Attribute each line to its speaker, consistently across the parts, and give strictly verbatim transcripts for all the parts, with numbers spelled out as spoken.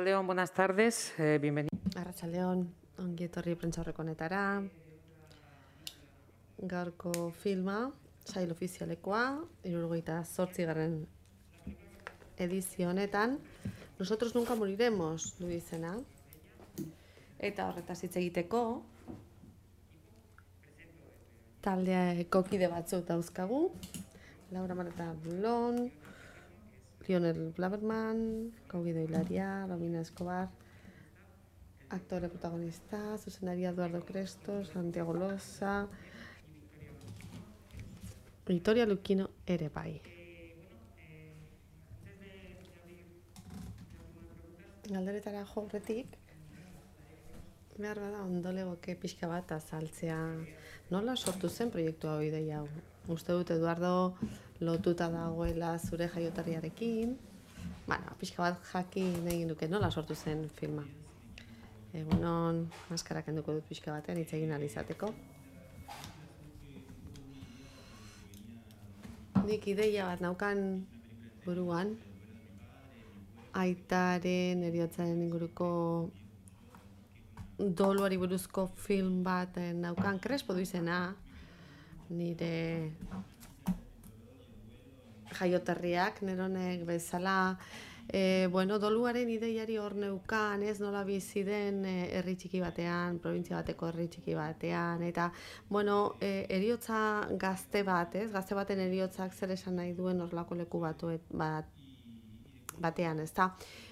Speaker 1: Arratsaldeon, buenas tardes, eh, bienvenido.
Speaker 2: Arratsaldeon, ongi etorri prentsaurreko honetara. Gaurko filma, sail ofizialekoa, hirurogeita zortzigarren edizio honetan, Nosotros nunca moriremos, du izena. Eta horretaz hitz egiteko, taldeako kide batzuk dauzkagu. Laura Marta Bulón, Lionel Blaberman, Kaugido Hilaria, Romina Escobar, aktore protagonista, zuzenaria Eduardo Crestos, Santiago Loza, Victoria Luquino ere bai. Galderetara jo aurretik, behar bada ondo legoke pixka bat azaltzea nola sortu zen proiektu hau ideia hau. Uste dut Eduardo lotuta dagoela zure jaioterriarekin, bueno, pixka bat jakin egin duke nola sortu zen filma. Egunon, maskara kenduko dut pixka batean hitz egin ahal izateko. Nik ideia bat naukan buruan, aitaren heriotzaren inguruko doluari buruzko film bat naukan, Crespo du izena, nire jaioterriak, neronek bezala, e, bueno, doluaren ideiari hor neukan, ez nola bizi den herri txiki batean, provintzia bateko herri txiki batean, eta, bueno, e, heriotza gazte bat, ez, gazte baten heriotzak zer esan nahi duen horrelako leku batu, bat, batean, ez da,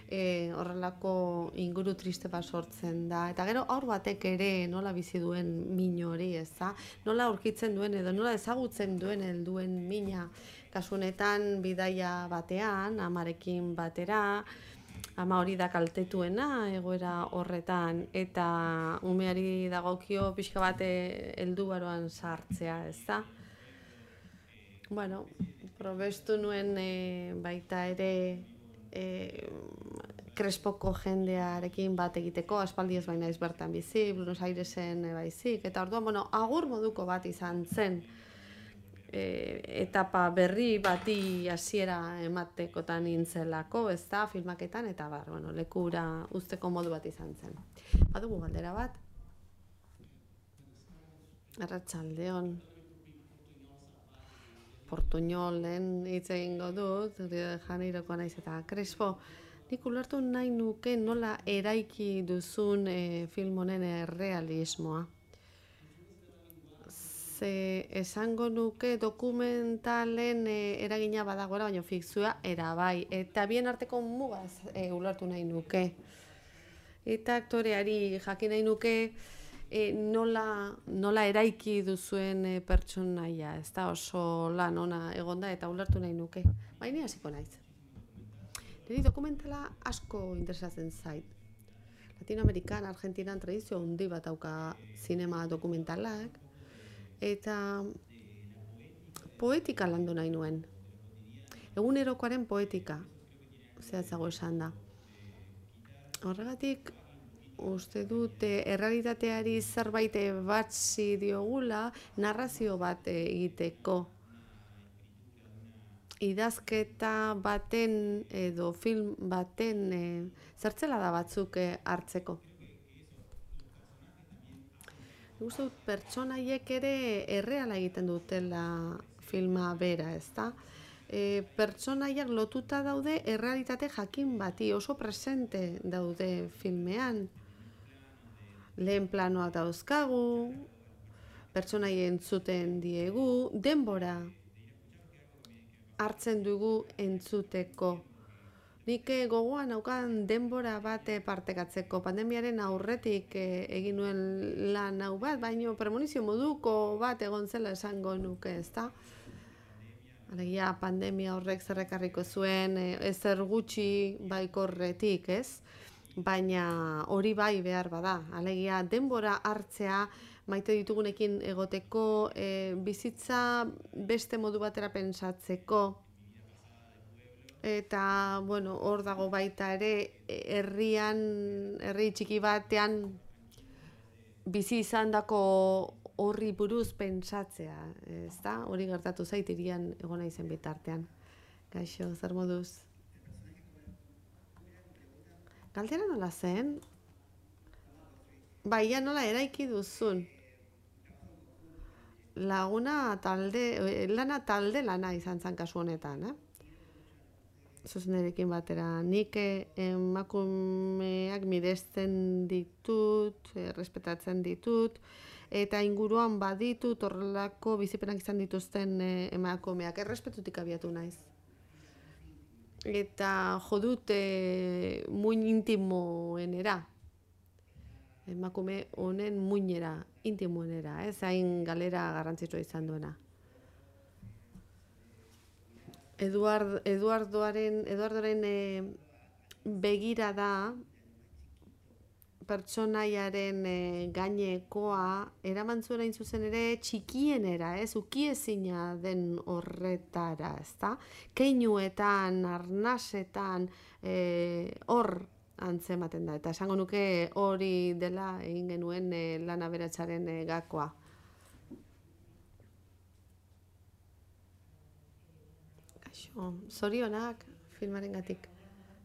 Speaker 2: e, horrelako inguru triste bat sortzen da, eta gero aur batek ere nola bizi duen min hori, ez da, nola aurkitzen duen edo nola ezagutzen duen helduen mina, kasunetan bidaia batean, amarekin batera, ama hori da kaltetuena egoera horretan, eta umeari dagokio pixka bate heldu baroan sartzea, ez da. Bueno, probestu nuen e, baita ere E, Crespoko jendearekin bat egiteko, aspaldi ez baina ez bertan bizi, Buenos Airesen e, baizik, eta orduan, bueno, agur moduko bat izan zen, e, etapa berri bati hasiera ematekotan nintzelako, ez da, filmaketan, eta bar, bueno, lekura uzteko modu bat izan zen. Badugu galdera bat, Arratsaldeon, Portuñolen hitz egingo dut, Rio de Janeirokoa naiz eta Crespo, nik ulertu nahi nuke nola eraiki duzun e, film honen errealismoa. Ze esango nuke dokumentalen e, eragina badagoela, baina fikzioa erabai, eta bien arteko mugaz e, ulertu nahi nuke. Eta aktoreari jakin nahi nuke, E, nola, nola eraiki duzuen e, pertsonaia, ez da oso lan ona egonda eta ulertu nahi nuke. Baina hasiko naiz. Niri dokumentala asko interesatzen zait. Latinoamerikan, Argentinan tradizio handi bat dauka zinema dokumentalak, eta poetika landu nahi nuen. Egunerokoaren poetika, zehatzago esan da. Horregatik, uste dute errealitateari zerbait batzi diogula narrazio bat egiteko. Idazketa baten edo film baten e, zertzela da batzuk e, hartzeko. Uste dut pertsonaiek ere erreala egiten dutela filma bera, ez da? E, pertsonaiak lotuta daude errealitate jakin bati, oso presente daude filmean. Lehen planoak dauzkagu, pertsonai entzuten diegu, denbora hartzen dugu entzuteko. Nik gogoan naukan denbora bat partekatzeko, pandemiaren aurretik egin nuen lan hau bat, baino premonizio moduko bat egon zela esango nuke, ezta? Alegia pandemia horrek zerrekarriko zuen, ezer gutxi baikorretik, ez? Baina hori bai behar bada, alegia denbora hartzea maite ditugunekin egoteko, e, bizitza beste modu batera pentsatzeko, eta, bueno, hor dago baita ere, herrian, herri txiki batean bizi izandako horri buruz pentsatzea, ez da? Hori gertatu zait hirian egon naizen bitartean. Gaixo, zer moduz? Galdera nola zen? Baia nola eraiki duzun? Laguna talde, lana talde lana izan zen kasu honetan, eh? Zuzenerekin batera. Nik emakumeak miresten ditut, errespetatzen ditut, eta inguruan baditut horrelako bizipenak izan dituzten emakumeak. Errespetutik abiatu naiz. Eta jodut e, muin intimoenera. Emakume honen muinera, intimoenera, ez hain galera garrantzitsua izan duena. Eduard, Eduardoaren, Eduardoren e, begirada pertsonaiaren e, gainekoa eraman zuen hain zuzen ere txikienera, ez, ukiezina den horretara, ezta? Keinuetan, arnasetan, hor e, antzematen da, eta esango nuke hori dela egin genuen e, lan aberatsaren e, gakoa. Kaixo, zorionak filmarengatik.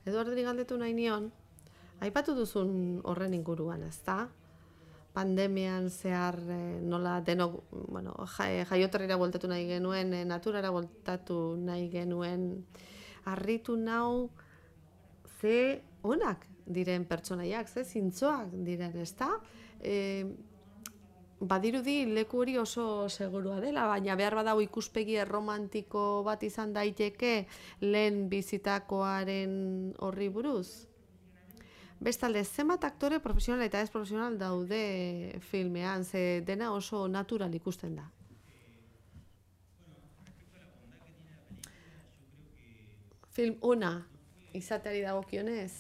Speaker 2: Eduardori galdetu nahi nion, aipatu duzun horren inguruan, ezta? Pandemian zehar e, nola denok, bueno, jaioterrira bueltatu nahi genuen, e, naturara bueltatu nahi genuen, harritu nau ze onak diren pertsonaiak, ze zintzoak diren, ezta? E, badirudi leku hori oso segurua dela, baina behar badau ikuspegi erromantiko bat izan daiteke lehen bizitakoaren horri buruz. Bestalde, zenbat aktore profesional eta ez profesional daude filmean, ze dena oso natural ikusten da. Film ona izateari dagokionez,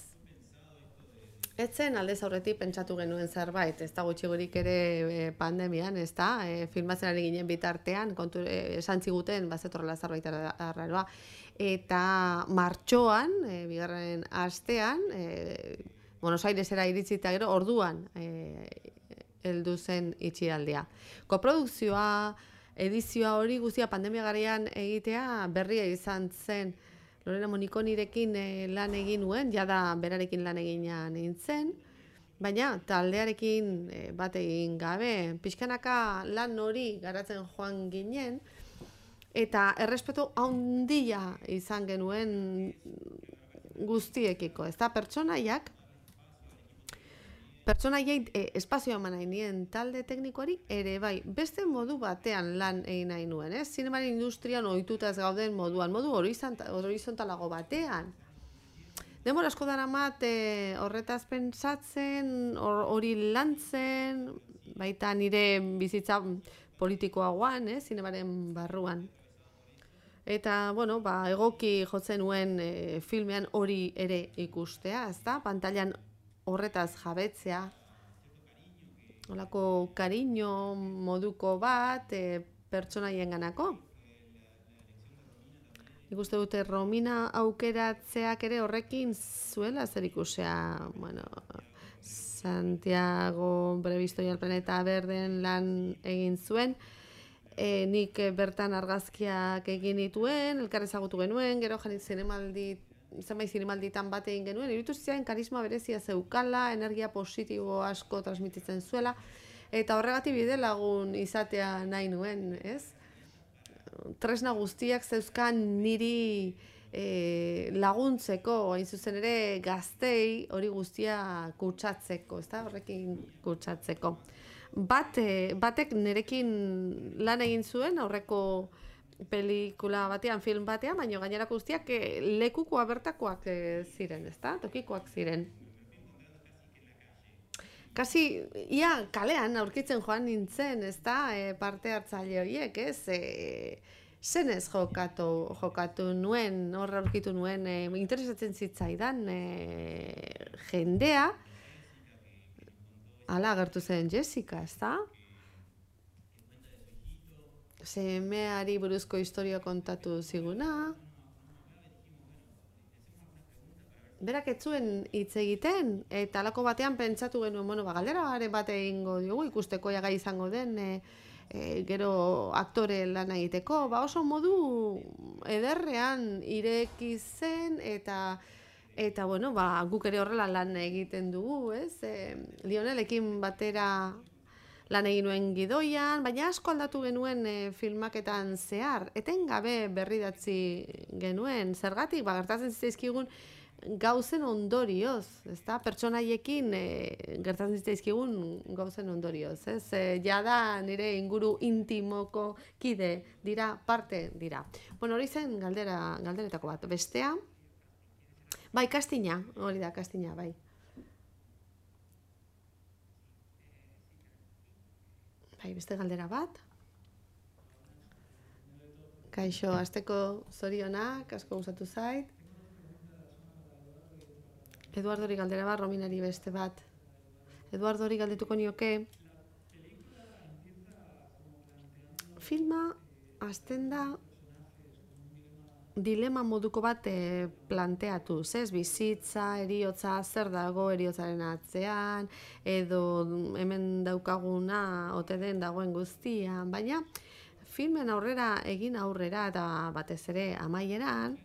Speaker 2: etzen aldez aurretik pentsatu genuen zerbait, ez da gutxigurik ere pandemian, ez da, e, filmatzen ari ginen bitartean, kontu, e, esan ziguten, bazetorrela zerbait arraroa, eta martxoan, e, bigarren astean, e, Buenos Airesera iritzita gero, orduan e, heldu zen itxialdia. Koprodukzioa, edizioa hori guztia pandemia garaian egitea berria izan zen. Lorena Monikonirekin e, lan egin nuen, jada berarekin lan egina nintzen, baina taldearekin e, bat egin gabe, pixkanaka lan hori garatzen joan ginen, eta errespetu handia izan genuen guztiekiko, ez da, pertsonaiak, pertsonaiei e, espazioa eman nahi nien talde teknikoari ere bai, beste modu batean lan egin nahi nuen, ez? Zinemaren industrian ohituta ez gauden moduan, modu horizontalago batean. Denbora asko daramat e, horretaz pentsatzen, hori or, lantzen, baita nire bizitza politikoagoan, eh, zinemaren barruan. Eta, bueno, ba, egoki jotzen nuen e, filmean hori ere ikustea, ezta? Pantailan horretaz jabetzea, holako kariño moduko bat e, pertsonaien ganako. Ikuste dute Romina aukeratzeak ere horrekin zuela zer ikusea, bueno, Santiago Brevisto y el Planeta Berden lan egin zuen, e, nik bertan argazkiak egin dituen, elkar ezagutu genuen, gero janit zinemaldi zenbait zinemalditan bat egin genuen, iruditu zitzaidan karisma berezia zeukala, energia positibo asko transmititzen zuela, eta horregatik bide lagun izatea nahi nuen, ez? Tresna guztiak zeuzkan niri e, laguntzeko, hain zuzen ere gaztei hori guztia kutsatzeko, ezta? Horrekin kutsatzeko. Bat, e, batek nerekin lan egin zuen, aurreko pelikula batean, film batean, baina gainerako guztiak e, lekukoa bertakoak e, ziren, ezta? Tokikoak ziren. Kasi, ia kalean aurkitzen joan nintzen, ezta? E, parte hartzaile horiek, ez? E, zenez jokatu, jokatu nuen, hor aurkitu nuen, e, interesatzen zitzaidan e, jendea, hala agertu zen Jessica, ezta? Semeari buruzko historia kontatu ziguna. Berak ez zuen hitz egiten, eta halako batean pentsatu genuen, bueno, ba, galdera bat egingo diogu, ikusteko ja gai izango den, e, e, gero aktore lan egiteko, ba oso modu ederrean ireki zen, eta Eta, bueno, ba, guk ere horrela lan egiten dugu, ez? E, Lionelekin batera lan egin nuen gidoian, baina asko aldatu genuen e, filmaketan zehar. Etengabe berridatzi genuen, zergatik, ba, gertatzen zitzaizkigun gauzen ondorioz, ezta? Pertsonaiekin e, gertatzen zitzaizkigun gauzen ondorioz, ez? E, jada nire inguru intimoko kide dira, parte dira. Bueno, hori zen galdera, galderetako bat. Bestea, bai, kastina, hori da, kastina, bai. Bai, beste galdera bat. Kaixo, asteko zorionak, asko gustatu zait. Eduardori galdera bat, Rominari beste bat. Eduardori galdetuko nioke. Filma hasten da dilema moduko bat e, planteatu, ez? Bizitza, eriotza, zer dago eriotzaren atzean, edo hemen daukaguna ote den dagoen guztian, baina filmen aurrera egin aurrera eta batez ere amaieran,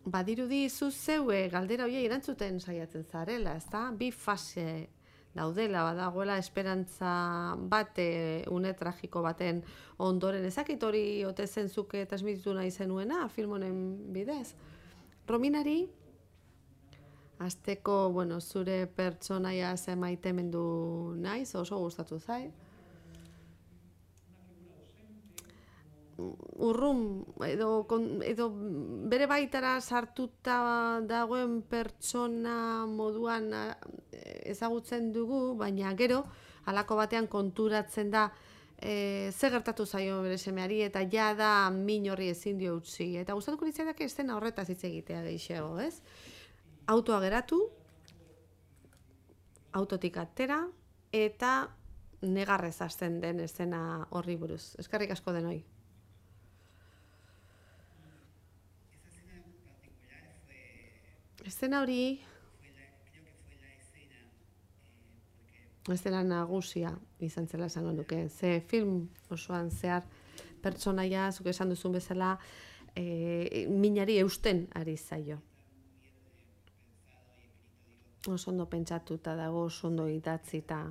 Speaker 2: badirudi zu zeue galdera horiei erantzuten saiatzen zarela, ezta? Bi fase daudela, badagoela esperantza bat e, une tragiko baten ondoren. Ezakit hori ote zen zuke transmititu nahi zenuena film honen bidez. Rominari, hasteko, bueno, zure pertsonaia ze maitemendu naiz, oso gustatu zait. Urrun, edo, edo bere baitara sartuta dagoen pertsona moduan ezagutzen dugu, baina gero, halako batean konturatzen da e, ze gertatu zaio bere semeari, eta ja da min horri ezin dio utzi. Eta gustatuko litzaidak estena horretaz hitz egitea gehiago, ez? Autoa geratu, autotik atera, eta negarrez hasten den estena horri buruz. Eskerrik asko denoi. Estena hori, estena nagusia izan zela esango nuke. Ze film osoan zehar pertsonaia, zuk esan duzun bezala, e, minari eusten ari zaio. Oso ondo pentsatuta dago, oso ondo idatzita.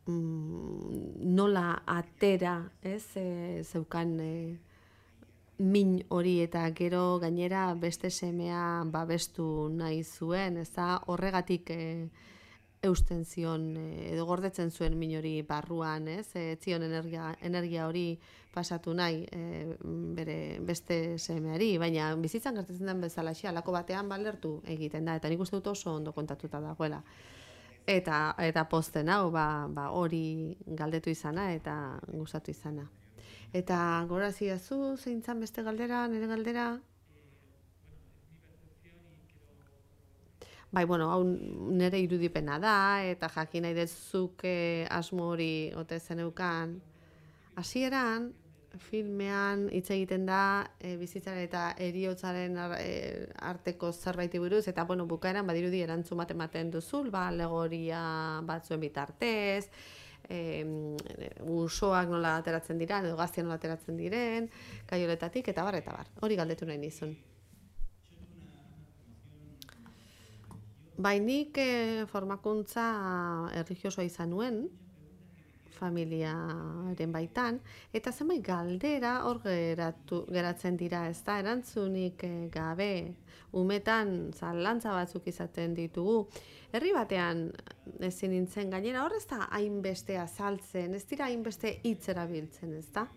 Speaker 2: Mm, nola atera, ez, e, zeukan e, min hori eta gero gainera beste semea babestu nahi zuen, ez da horregatik e, eusten zion e, edo gordetzen zuen min hori barruan, ez, e, zion energia, energia hori pasatu nahi e, bere beste semeari, baina bizitzan gertatzen den bezalaxe, halako batean balertu egiten da, eta nik uste dut oso ondo kontatuta dagoela. Eta, eta posten hau, ba, ba hori galdetu izana eta gustatu izana. Eta gorazi zu, zein zan beste galdera, nire galdera? Bai, bueno, hau nire irudipena da, eta jakin nahi dezuk eh, asmo hori ote zeneukan. Hasieran, filmean hitz egiten da e, bizitzaren eta heriotzaren e, arteko zerbaiti buruz, eta bueno, bukaeran badirudi erantzun bat ematen duzul, ba, alegoria batzuen bitartez, E, usoak nola ateratzen diren, edo gaztia nola ateratzen diren, kaioletatik, eta bar, eta bar. Hori galdetu nahi nizun. Bainik e, formakuntza erlijiosoa izan nuen, familiaren baitan, eta zenbait galdera hor geratu, geratzen dira, ez da, erantzunik e, gabe, umetan zalantza batzuk izaten ditugu. Herri batean ezin nintzen gainera, hor ez da hainbeste azaltzen, ez dira hainbeste hitz erabiltzen, ez da?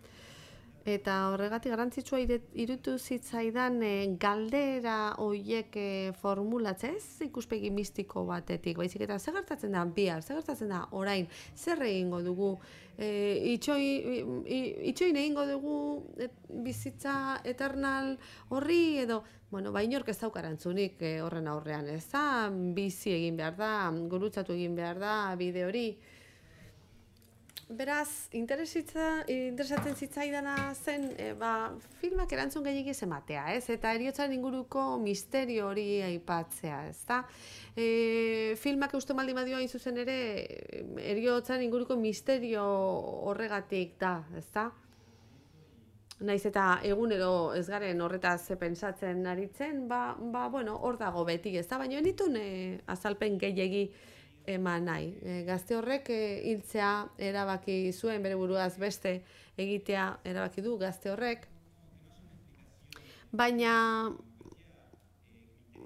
Speaker 2: Eta horregatik garrantzitsua irutu zitzaidan e, galdera horiek e, formulatzea, ez ikuspegi mistiko batetik, baizik eta zer gertatzen da bihar, zer gertatzen da orain, zer egingo dugu, e, itxoi, itxoin egingo dugu et, bizitza eternal horri edo, bueno, ba inork ez dauka erantzunik e, horren aurrean, ez da, bizi egin behar da, gurutzatu egin behar da bide hori. Beraz, interesatzen zitzaidana zen, e, ba, filmak erantzun gehiagiz ematea, ez? Eta heriotzaren inguruko misterio hori aipatzea, ez da? E, filmak eusten baldin badioa hain zuzen ere, heriotzaren inguruko misterio horregatik da, ez da? naiz eta egunero ez garen horretaz pentsatzen aritzen, ba, ba bueno, hor dago beti, ez da, baina nituen e, azalpen gehiegi eman nahi. E, gazte horrek e, hiltzea erabaki zuen, bere buruaz beste egitea erabaki du gazte horrek, baina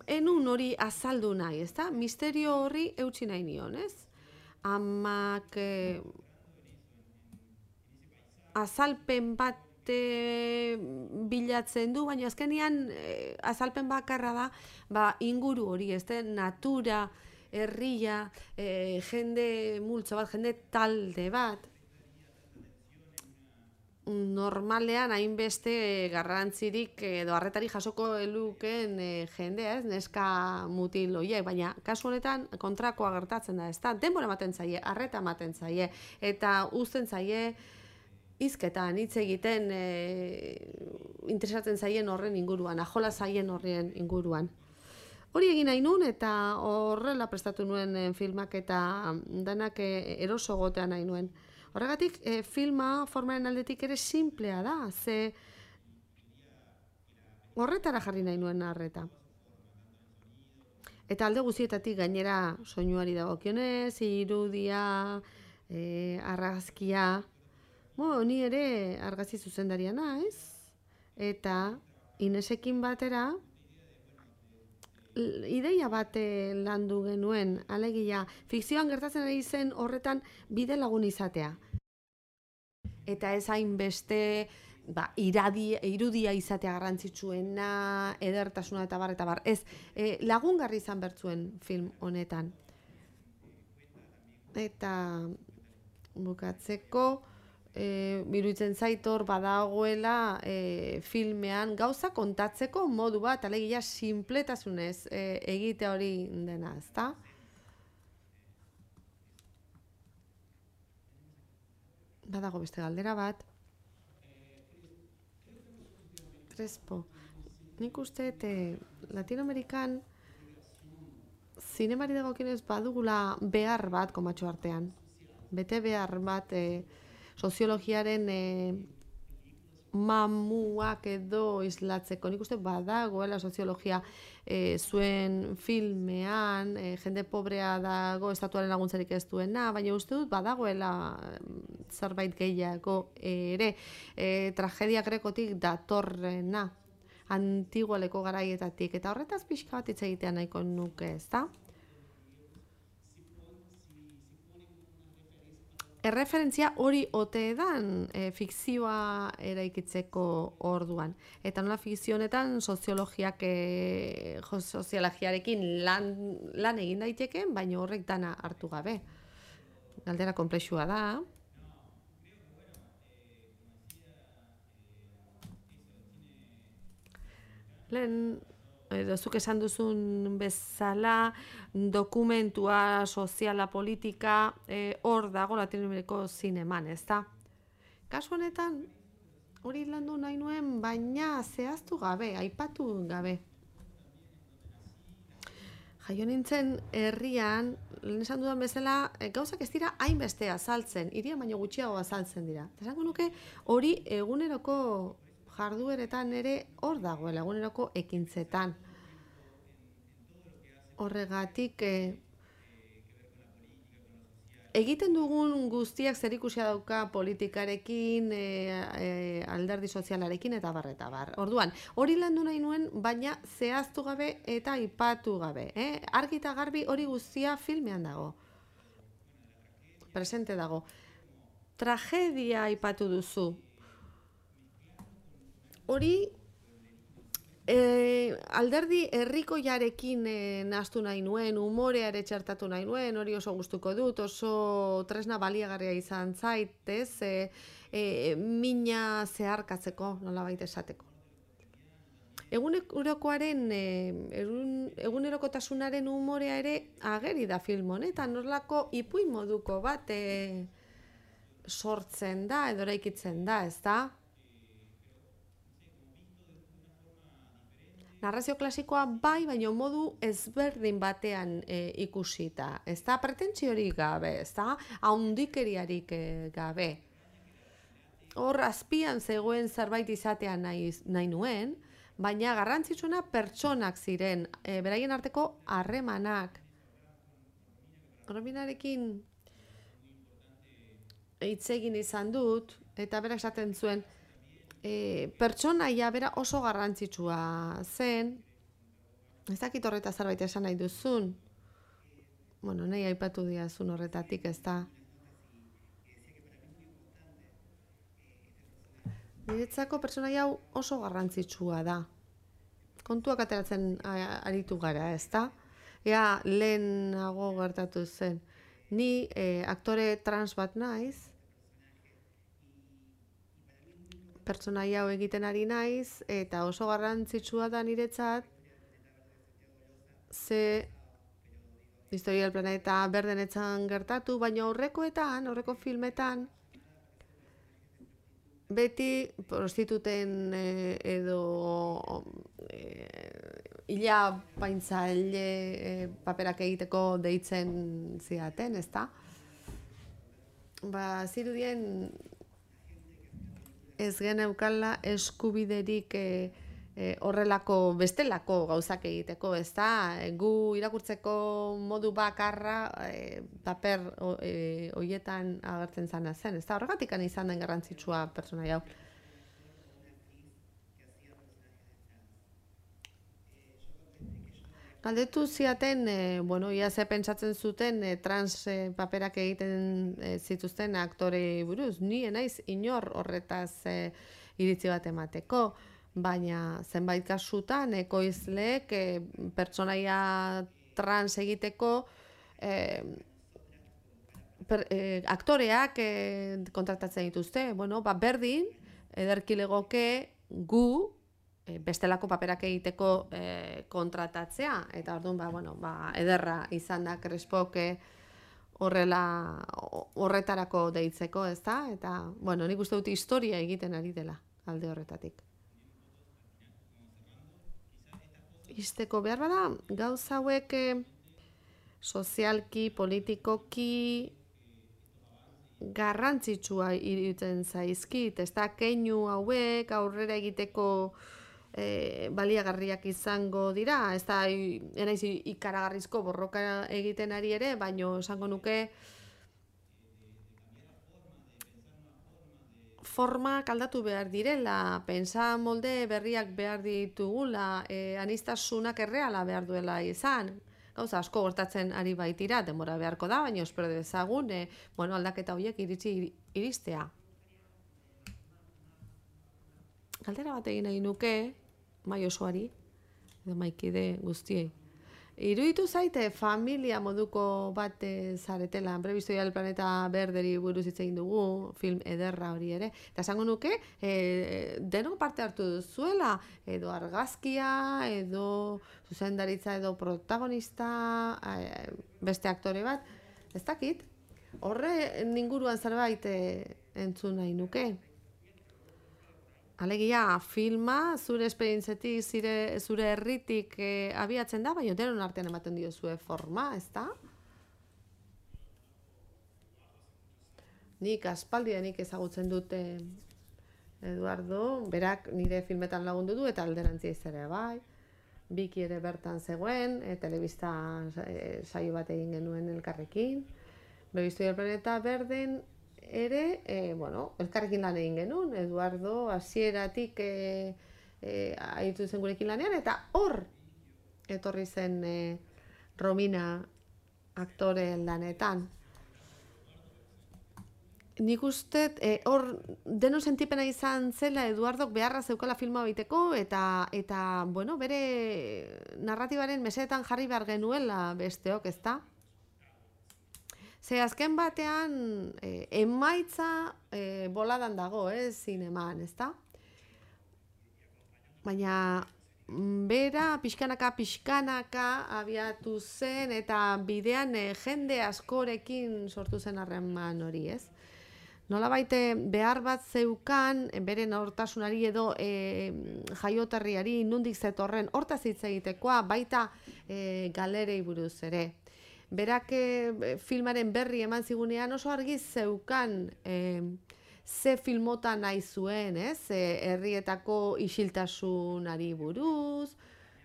Speaker 2: enun hori azaldu nahi, ez da? Misterio horri eutsi nahi nion, ez? Amak e, azalpen bat e, bilatzen du, baina azkenean e, azalpen bakarra da ba, inguru hori, ez da? Natura, herria, e, jende multzo bat, jende talde bat, normalean hainbeste garrantzirik edo harretari jasoko eluken e, jendea, ez, neska mutil horiek, baina kasu honetan kontrakoa gertatzen da, ez da, denbora ematen zaie, harreta ematen zaie, eta uzten zaie hizketan hitz egiten e, interesatzen zaien horren inguruan, ajola zaien horren inguruan. Hori egin nahi nun eta horrela prestatu nuen e, filmak eta danak e, eroso gotean nahi nuen. Horregatik, e, filma formaren aldetik ere simplea da, ze horretara jarri nahi nuen harreta. Eta alde guztietatik gainera soinuari dagokionez, irudia, e, argazkia, bo, ni ere argazki zuzendaria naiz, eta Inesekin batera ideia bat landu genuen, alegia, fikzioan gertatzen ari zen horretan bide lagun izatea. Eta ez hainbeste ba, iradi, irudia izatea garrantzitsuena, edertasuna eta bar, eta bar. Ez, e, lagungarri izan bertzuen film honetan. Eta bukatzeko, e, biruditzen zait hor badagoela e, filmean gauza kontatzeko modu bat, alegia sinpletasunez e, egite hori dena, ezta? Badago beste galdera bat. Crespo. Nik uste e, Latinoamerikan zinemari dagokionez badugula behar bat komatxo artean. Bete behar bat e, soziologiaren e, mamuak edo islatzeko. Nik uste badagoela soziologia e, zuen filmean, e, jende pobrea dago estatuaren laguntzarik ez duena, baina uste dut badagoela zerbait gehiago ere, e, tragedia grekotik datorrena, antigualeko garaietatik, eta horretaz pixka bat hitz egitea nahiko nuke, ezta? Erreferentzia hori ote dan e, fikzioa eraikitzeko orduan. Eta nola fikzio honetan soziologiak e, soziologiarekin lan, lan egin daiteke, baina horrek dana hartu gabe. Galdera konplexua da. Lehen, edo zuk esan duzun bezala, dokumentua, soziala, politika, hor e, dago Latinoamerikako zineman, ez da? Kasu honetan, hori landu nahi nuen, baina zehaztu gabe, aipatu gabe. Jaio nintzen herrian, lehen esan dudan bezala, e, gauzak ez dira hainbeste azaltzen, hirian baino gutxiago azaltzen dira. Eta esango nuke hori eguneroko jardueretan ere hor dagoela, eguneroko ekintzetan. Horregatik, e, egiten dugun guztiak zerikusia dauka politikarekin, e, e, alderdi sozialarekin eta bar eta bar. Orduan, hori landu nahi nuen, baina zehaztu gabe eta aipatu gabe. Eh? Argi eta garbi hori guztia filmean dago. Presente dago. Tragedia aipatu duzu. Hori e, alderdi herrikoiarekin e, nahastu nahi nuen, umoreare txertatu nahi nuen, hori oso gustuko dut, oso tresna baliagarria izan zaitez, e, e, mina zeharkatzeko, nolabait esateko. Egunerokoaren, e, egunerokotasunaren umorea ere ageri da film honetan, norlako ipuin moduko bat e, sortzen da, edo eraikitzen da, ez da? Narrazio klasikoa bai, baina modu ezberdin batean e, ikusita. Ez da pretentsiorik gabe, ez da haundikeriarik e, gabe. hor azpian zegoen zerbait izatea nahi, nahi nuen, baina garrantzitsuena pertsonak ziren, e, beraien arteko harremanak. Rominarekin hitz egin izan dut, eta berak esaten zuen, e, pertsonaia bera oso garrantzitsua zen, ez dakit horreta zerbait esan nahi duzun, bueno, nahi aipatu diazun horretatik, ez da. Niretzako pertsonaia hau oso garrantzitsua da. Kontuak ateratzen aritu gara, ez da? Ea, lehenago gertatu zen. Ni eh, aktore trans bat naiz, pertsonaia hau egiten ari naiz, eta oso garrantzitsua da niretzat, ze Historia del Planeta berdenetzan gertatu, baina aurrekoetan, aurreko filmetan, beti prostituten eh, edo eh, ila paintzaile eh, paperak egiteko deitzen zidaten, ezta? Ba, zirudien ez geneukala eskubiderik eh, eh, horrelako bestelako gauzak egiteko, ezta? Gu irakurtzeko modu bakarra eh, paper eh, hoietan agertzen zana zen, ezta? Horregatik izan den garrantzitsua pertsonaia hau. Galdetu ziaten, e, bueno, ia ze pentsatzen zuten e, trans e, paperak egiten e, zituzten aktore buruz. Ni naiz inor horretaz e, iritzi bat emateko, baina zenbait kasutan ekoizleek e, pertsonaia trans egiteko e, per, e, aktoreak e, kontratatzen dituzte. Bueno, ba, berdin, ederki legoke gu bestelako paperak egiteko e, kontratatzea, eta orduan ba, bueno, ba, ederra izan da Crespok horrela horretarako deitzeko, ezta? Eta, bueno, nik uste dut historia egiten ari dela alde horretatik. Izteko behar bada, gauza hauek e, sozialki, politikoki garrantzitsua iruditzen zaizkit, ezta? Keinu hauek aurrera egiteko E, baliagarriak izango dira, ez da enaiz ikaragarrizko borroka egiten ari ere, baino esango nuke formak aldatu behar direla, pentsa molde berriak behar ditugula, e, aniztasunak erreala behar duela izan, gauza asko gertatzen ari baitira, denbora beharko da, baina espero dezagun, e, bueno, aldaketa horiek iritsi iristea. Galdera bat egin nahi nuke, mai osoari, edo maikide guztiei. Iruditu zaite familia moduko bat zaretela, Historia del Planeta berderi buruz hitz egin dugu, film ederra hori ere, eta esango nuke, e, denok parte hartu duzuela, edo argazkia, edo zuzendaritza, edo protagonista, e, beste aktore bat, ez dakit, horre inguruan zerbait e, entzun nahi nuke. Alegia, filma, zure esperientzetik, zure, zure herritik eh, abiatzen da, baina denon artean ematen diozue forma, ez da? Nik aspaldianik ezagutzen dute Eduardo, berak nire filmetan lagundu du eta alderantziz ere bai. Biki ere bertan zegoen, e, telebista e, saio bat egin genuen elkarrekin. Historia del Planeta berden ere, e, bueno, elkarrekin lan egin genuen, Eduardo hasieratik e, e, aritu zen gurekin lanean, eta hor etorri zen e, Romina aktore lanetan. Nik uste, e, hor deno sentipena izan zela Eduardok beharra zeukala filma egiteko, eta, eta bueno, bere narratibaren mesedetan jarri behar genuela besteok, ezta? Ze azken batean e, emaitza e, boladan dago, ez, zineman, ezta? Baina bera pixkanaka pixkanaka abiatu zen eta bidean e, jende askorekin sortu zen harreman hori, ez? Nolabait behar bat zeukan bere nortasunari edo e, jaioterriari nondik zetorren hortaz hitz egitekoa, baita e, galerei buruz ere. Berak e, filmaren berri eman zigunean oso argi zeukan e, ze filmota nahi zuen, ez? E, herrietako isiltasunari buruz,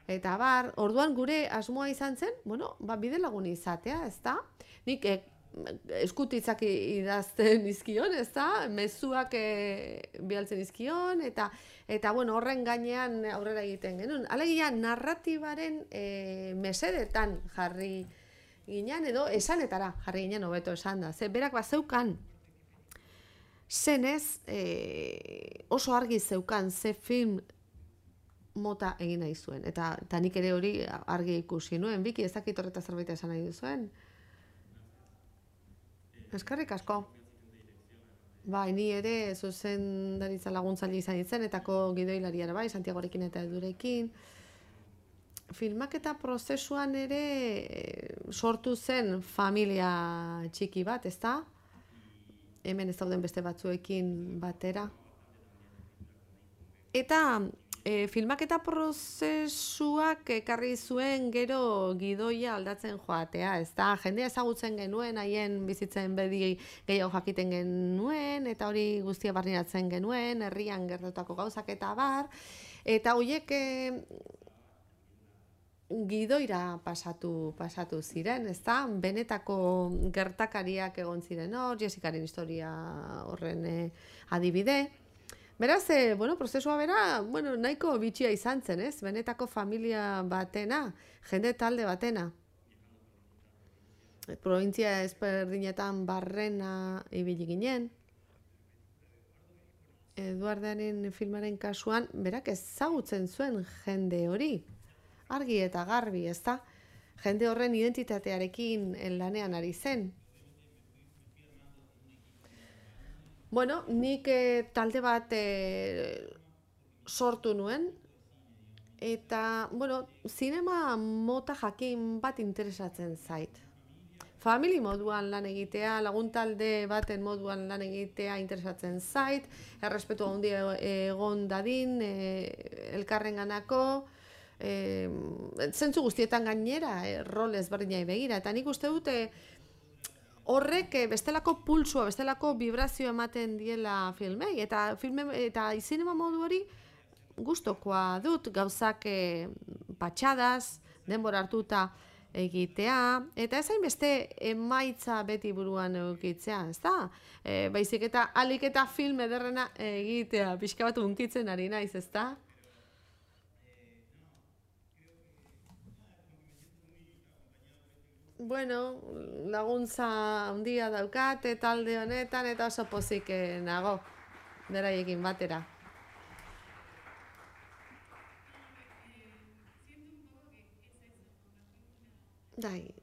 Speaker 2: eta bar, orduan gure asmoa izan zen, bueno, ba, bidelagun izatea, ez da? Nik e, eskutitzak idazten izkion, ez da? Mezuak e, bialtzen izkion, eta, eta bueno, horren gainean aurrera egiten genuen. Alegia, narratibaren e, mesedetan jarri ginen, edo esanetara jarri ginen hobeto esan da. Ze berak bat zeukan, zenez e, oso argi zeukan ze film mota egin nahi zuen. Eta, eta nik ere hori argi ikusi nuen. Biki, ez dakit horreta zerbait esan nahi duzuen. Eskerrik asko. Bai, ni ere zuzendaritza laguntzaile izan izen, etako gidoilariara bai, Santiagorekin eta Edurekin. Filmaketa prozesuan ere sortu zen familia txiki bat, ezta? Hemen ez dauden beste batzuekin batera. Eta e, filmaketa prozesuak ekarri zuen gero gidoia aldatzen joatea, ezta? Jendea ezagutzen genuen, haien bizitzen bedi gehiago jakiten genuen, eta hori guztia barneratzen genuen, herrian gertatutako gauzak eta bar, eta horiek e, gidoira pasatu, pasatu ziren, ezta? Benetako gertakariak egon ziren hor, Jessicaren historia horren e, adibide. Beraz, e, bueno, prozesua bera, bueno, nahiko bitxia izan zen, ez? Benetako familia batena, jende talde batena. Provintzia ezberdinetan barrena ibili ginen. Eduardaren filmaren kasuan, berak ezagutzen zuen jende hori. Argi eta garbi, ezta? Jende horren identitatearekin lanean ari zen. Bueno, nik e, talde bat e, sortu nuen, eta, bueno, zinema mota jakin bat interesatzen zait. Famili moduan lan egitea, laguntalde baten moduan lan egitea interesatzen zait, errespetu handia egon dadin, e, elkarrenganako, E, zentzu guztietan gainera, e, rol ezberdinai begira, eta nik uste dute horrek bestelako pulsua, bestelako vibrazio ematen diela filmei, eta filme eta zinema modu hori gustokoa dut, gauzak e, patxadaz, denbora hartuta egitea, eta ez hainbeste emaitza beti buruan eukitzea, ez da? E, baizik eta alik eta film ederrena egitea, pixka bat hunkitzen ari naiz, ez da? Bueno, laguntza handia daukate talde honetan eta oso pozik nago beraiekin batera. Dai,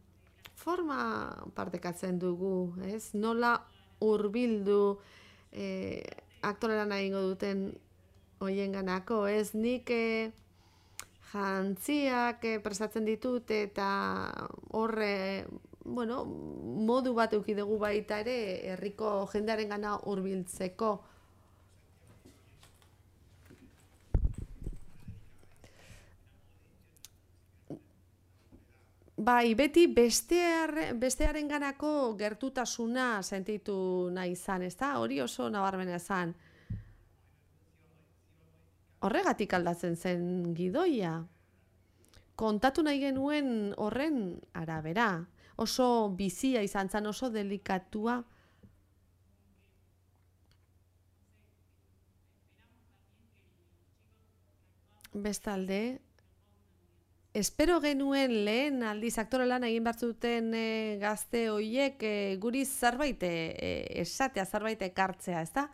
Speaker 2: forma partekatzen dugu, ez? Nola hurbildu eh, aktorera nahi ingo duten hoienganako, ez? Nik eh, jantziak eh, prestatzen ditut eta horre, bueno, modu bat eduki dugu baita ere herriko jendearen gana hurbiltzeko. Bai, beti bestear, bestearen ganako gertutasuna sentitu nahi izan, ez da? Hori oso nabarmena izan. Horregatik aldatzen zen gidoia. Kontatu nahi genuen horren arabera. Oso bizia izan zen, oso delikatua. Bestalde, espero genuen lehen aldiz aktore lan egin behar zuten e, gazte hoiek e, guri zerbait e, esatea, zerbait ekartzea, ezta?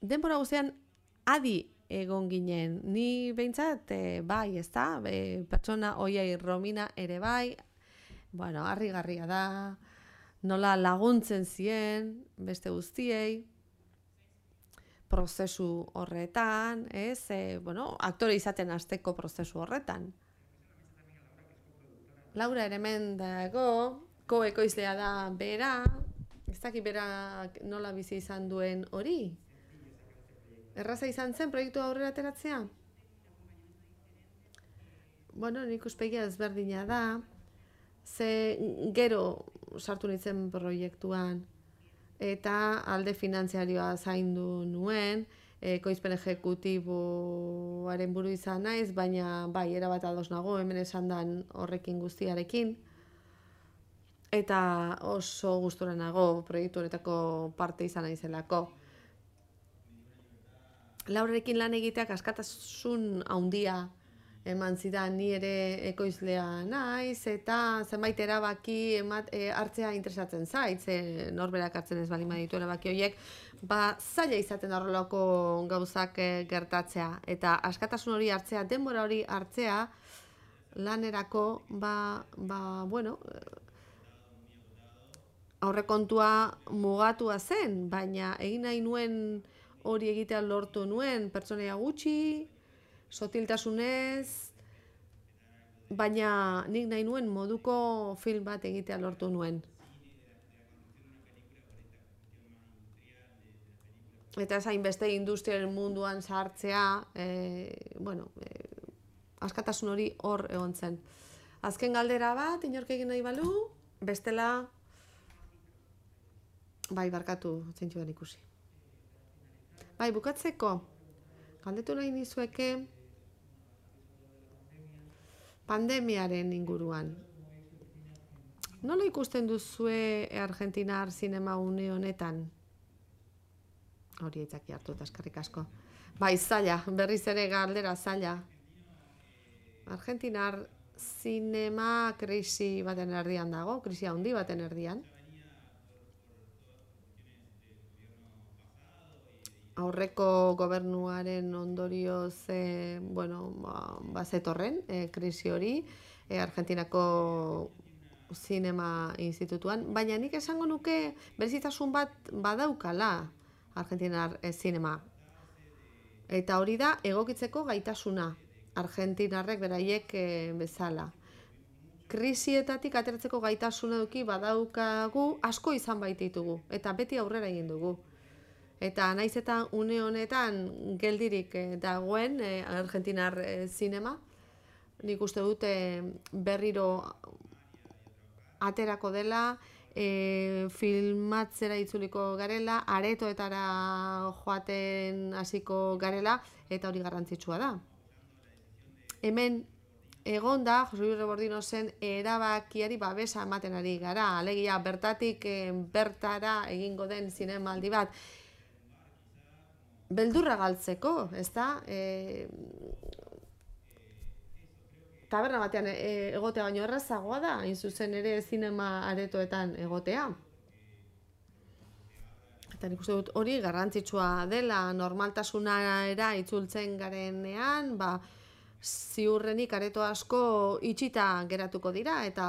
Speaker 2: Denbora guztian adi egon ginen. Ni behintzat, e, bai, ezta? E, pertsona hoiei Romina ere bai, bueno, harrigarria da, nola laguntzen zien beste guztiei, prozesu horretan, ez? E, bueno, aktore izaten hasteko prozesu horretan. Laura ere hemen dago, ko-ekoizlea da bera, ez dakit bera nola bizi izan duen hori. Erraza izan zen proiektu aurrera ateratzea? Bueno, nik uspegia ezberdina da, ze gero sartu nintzen proiektuan. eta alde finantziarioa zaindu nuen, ekoizpen ejekutiboaren buru izan naiz, baina bai, erabat ados nago, hemen esan dan horrekin guztiarekin. Eta oso gustura nago proiektu honetako parte izan naizelako. Laurarekin lan egiteak askatasun handia eman zidan, ni ere ekoizlea naiz, eta zenbait erabaki emat, e, hartzea interesatzen zait, ze norberak hartzen ez baldin baditu erabaki horiek, ba zaila izaten horrelako gauzak e, gertatzea, eta askatasun hori hartzea, denbora hori hartzea lanerako, ba, ba bueno, aurrekontua mugatua zen, baina egin nahi nuen hori egitea lortu nuen, pertsonaia gutxi, sotiltasunez, baina nik nahi nuen moduko film bat egitea lortu nuen. Eta ez hainbeste industriaren munduan sartzea, e, bueno, e, askatasun hori hor egon zen. Azken galdera bat, inork egin nahi balu, bestela, bai, barkatu, zeintzu den ikusi. Bai, bukatzeko, galdetu nahi nizueke pandemiaren inguruan. Nola ikusten duzue argentinar zinema une honetan? Hori aitzaki hartu eta eskerrik asko. Bai, zaila, berriz ere galdera zaila. Argentinar zinema krisi baten erdian dago, krisi handi baten erdian. Aurreko gobernuaren ondorioz, e, bueno, ba, bazetorren, e, krisi hori, e, Argentinako zinema institutuan, baina nik esango nuke berezitasun bat badaukala Argentinar e, zinema. Eta hori da egokitzeko gaitasuna, argentinarrek beraiek e, bezala. Krisietatik ateratzeko gaitasuna eduki badaukagu, asko izan baititugu, eta beti aurrera egin dugu. Eta naiz eta une honetan geldirik eh, dagoen eh, argentinar eh, zinema, nik uste dute berriro aterako dela, e, filmatzera itzuliko garela, aretoetara joaten hasiko garela, eta hori garrantzitsua da. Hemen egon da, Jose Luis Rebordinosen erabakiari babesa ematen ari gara, alegia bertatik e, bertara egingo den zinemaldi bat, beldurra galtzeko, ez da? E, taberna batean e, egotea baino errazagoa da, hain zuzen ere zinema aretoetan egotea. Eta nik uste dut hori garrantzitsua dela, normaltasunara itzultzen garenean, ba, ziurrenik areto asko itxita geratuko dira, eta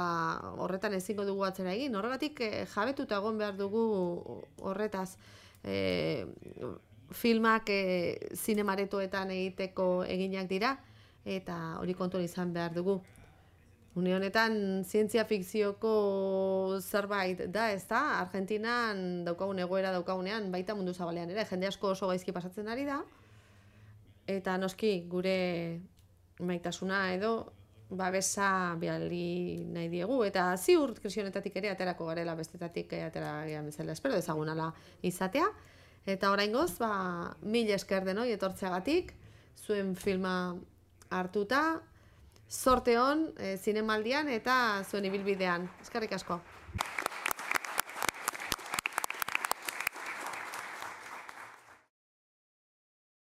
Speaker 2: horretan ezingo dugu atzera egin. Horregatik jabetuta egon behar dugu horretaz. E, filmak e, zinemaretoetan egiteko eginak dira, eta hori kontuan izan behar dugu. Une honetan zientzia fikzioko zerbait da, ez da? Argentinan daukagun egoera daukagunean, baita mundu zabalean ere, jende asko oso gaizki pasatzen ari da, eta noski gure maitasuna edo babesa bihali nahi diegu, eta ziur krisi honetatik ere aterako garela bestetatik atera gehan bezala, espero dezagunala izatea. Eta oraingoz, ba, mil esker denoi etortzeagatik, zuen filma hartuta, zorte hon, e, zinemaldian eta zuen ibilbidean. Eskerrik asko.